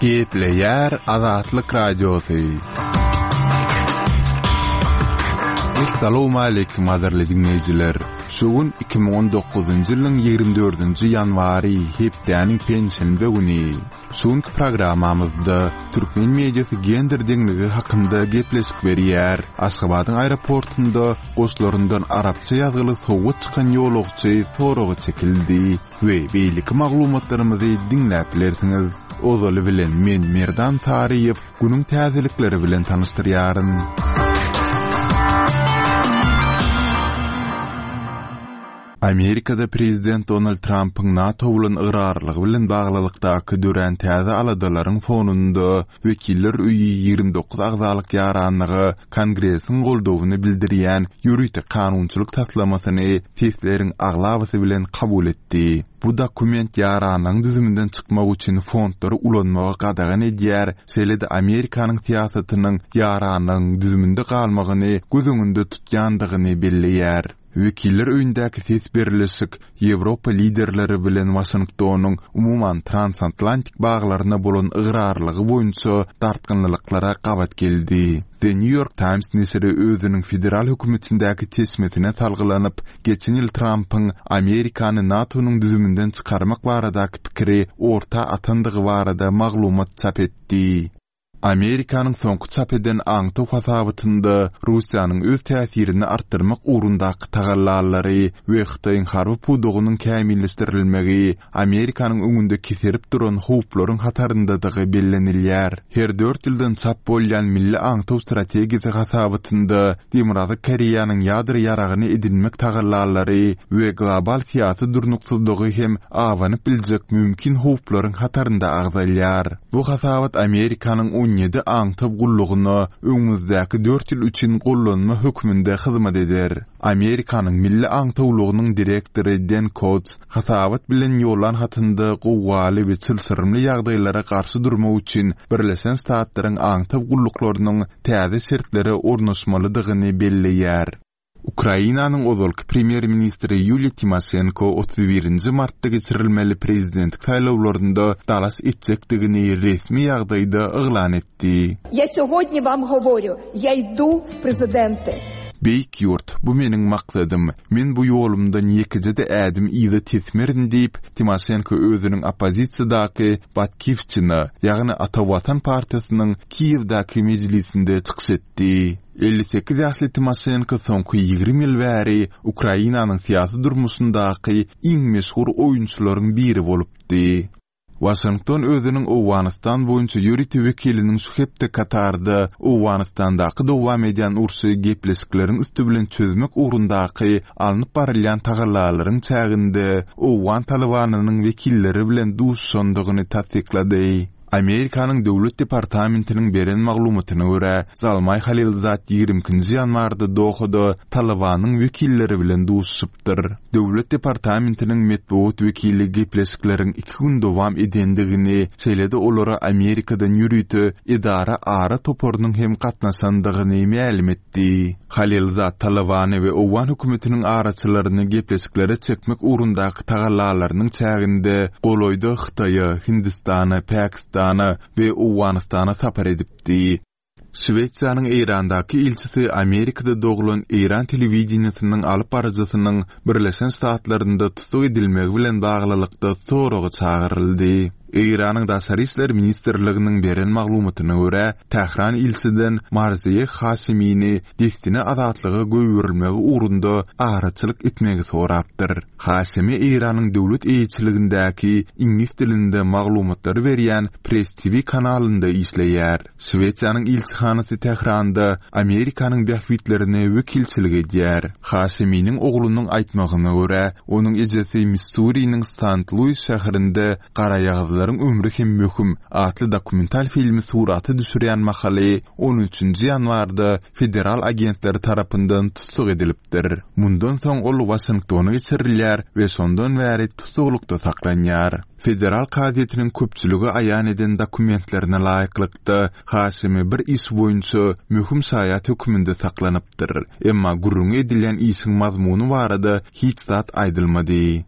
Gepleýär Azatlyk Radiosy. Essalawmaleýkim gadyrly diňleýjiler! Şu gün 2019-njy ýylyň 24-nji ýanwary, hepdäniň penşenbe güni. Şu günki programmamyzda türkmen mediasy gender deňligi hakynda gepleşik berýär. Aşgabadyň aeroportunda goşlaryndan arapça ýazgyly sowgat çykan ýolagçy soraga çekildi we beýleki maglumatlarymyzy diňläp bilersiňiz. Ozaly bilen men Merdan Saryýew günüň täzelikleri bilen tanyşdyrýaryn. Amerikada prezident Donald Trampyň NATO bolan ygrarlylygy bilen baglylykdaky dörän täze aladalaryň fonunda Wekiller öýi 29 agzalyk ýaranlyga Kongresiň goldawyny bildirýän ýörite kanunçylyk taslamasyny sesleriň aglabasy bilen kabul etdi. Bu dokument ýaranlygyň düzüminden çykmak üçin fondlary ulanmagy gadagan edýär, şeýle-de Amerikanyň syýasatynyň ýaranlygyň düzüminde galmagyny göz öňünde tutýandygyny belleýär. Wekiller öýündäki ses berlişik Ýewropa liderleri bilen Waşingtonyň umuman transatlantik baglaryna bolan ygrarlygy boýunça dartgynlylyklara gabat geldi. The New York Times neşiri özüniň federal hökümetindäki çeşmesine salgylanyp, geçen ýyl Trampyň Amerikany NATO-nyň düzüminden çykarmak baradaky pikiri orta atandygy barada maglumat çap etdi. Amerikanyň soňky çap eden aňtaw hasabatynda Russiýanyň öz täsirini artdyrmak ugrundaky tagallalary we Hytaýyň harby pudagynyň kämilleşdirilmegi Amerikanyň öňünde keserip duran howplaryň hataryndadygy bellenilýär. Her dört ýyldan çap bolýan Milli aňtaw strategiýasy hasabatynda Demirgazyk Koreýanyň ýadro ýaragyny edinmek tagallalary we global syýasy durnuksyzlygy hem abanyp biljek mümkin howplaryň hatarynda agzalýar. Bu hasabat Amerikanyň 17 aňtaw gullugyna öňümizdäki dört ýyl üçin gollanma hökmünde hyzmat eder. Amerikanyň Milli aňtawlygynyň direktory Den Kots hasabat bilen ýollan hatynda gowgaly we çylşyrymly ýagdaýlara garşy durmak üçin Birleşen Ştatlaryň aňtaw gulluklarynyň täze şertlere ornaşmalydygyny belleýär. Ukrainanyň ozalky premýer-ministri Ýuliýa Timoşenko 31 nji martda geçirilmeli prezidentlik saýlawlarynda dalaş etjekdigini resmi ýagdaýda yglan etdi. Ýa segodnýa wam goworýu, ýa idu w prezidenty. Beýik ýurt, bu meniň maksadym. Men bu ýolumdan ýekeje-de ädim yza tesmerin diýip, Timoşenko özüniň oppozisiýadaky Batkiwçina, ýagny Ata Watan partiýasynyň Kiýewdäki mejlisinde çykyş etdi. 58 ýaşly Timoşenko soňky 20 ýyl bäri Ukrainanyň syýasy durmuşyndaky iň meşhur oýunçylaryň biri bolupdy. Waşington özüniň Owganystan boýunça ýörite wekiliniň şu hepde Katarda Owganystandaky dowam edýän urşy gepleşikleriň üsti bilen çözmek ugrundaky alnyp barylýan tagallalaryň çäginde owgan Talybanynyň wekilleri bilen duşuşandygyny tassyklady. Amerikanyň Döwlet departamentiniň beren maglumatyna görä, Zalmaý Halilzad 22-nji ýanwarda Dohada Talybanyň wekilleri bilen duşuşypdyr. Döwlet departamentiniň metbugat wekili gepleşikleriň iki gün dowam edendigini, şeýle-de olara Amerikadan ýörite edara ara toparynyň hem gatnaşandygyny mälim etdi. Halilzad Talybany we owgan hökümetiniň araçylaryny gepleşiklere çekmek ugrundaky tagallalarynyň çäginde golaýda Hytaýa, Hindistana, Pakistana we Owganystana sapar edipdi. Şwesiýanyň Eýrandaky ilçisi Amerikada doglan eýran telewideniýesiniň alyp baryjysynyň Birleşen Ştatlarynda tussag edilmegi bilen baglylykda soraga çagyryldy. Eýranyň Daşary işler ministrliginiň beren maglumatyna görä, Tähran ilçiden Marziýeh Haşemini dessine azatlyga goýberilmegi ugrunda araçylyk etmegi sorapdyr. Haşemi Eýranyň döwlet eýeçiligindäki iňlis dilinde maglumatlary berýän Press TV kanalynda işleýär. Şwesiýanyň ilçihanasy Tähranda Amerikanyň bähbitlerine wekilçilik edýär. Haşeminiň oglunyň aýtmagyna görä, onuň ejesi Missuriniň Sant-Luis şäherinde Garaýagyzlaryň ömri hem möhüm atly dokumental filmi surata düşürýän mahaly on üçünji ýanwarda federal agentleri tarapyndan tussag edilipdir. Mundan soň ol Waşingtona geçirilýär we şondan bäri tussaglykda saklanýar. Federal kazyýetiniň köpçülige aýan eden dokumentlerine laýyklykda, Haşemi bir iş boýunça möhüm şaýat hökmünde saklanypdyr. Emma gürrüňi edilýän işiň mazmuny barada hiç zat aýdylmady.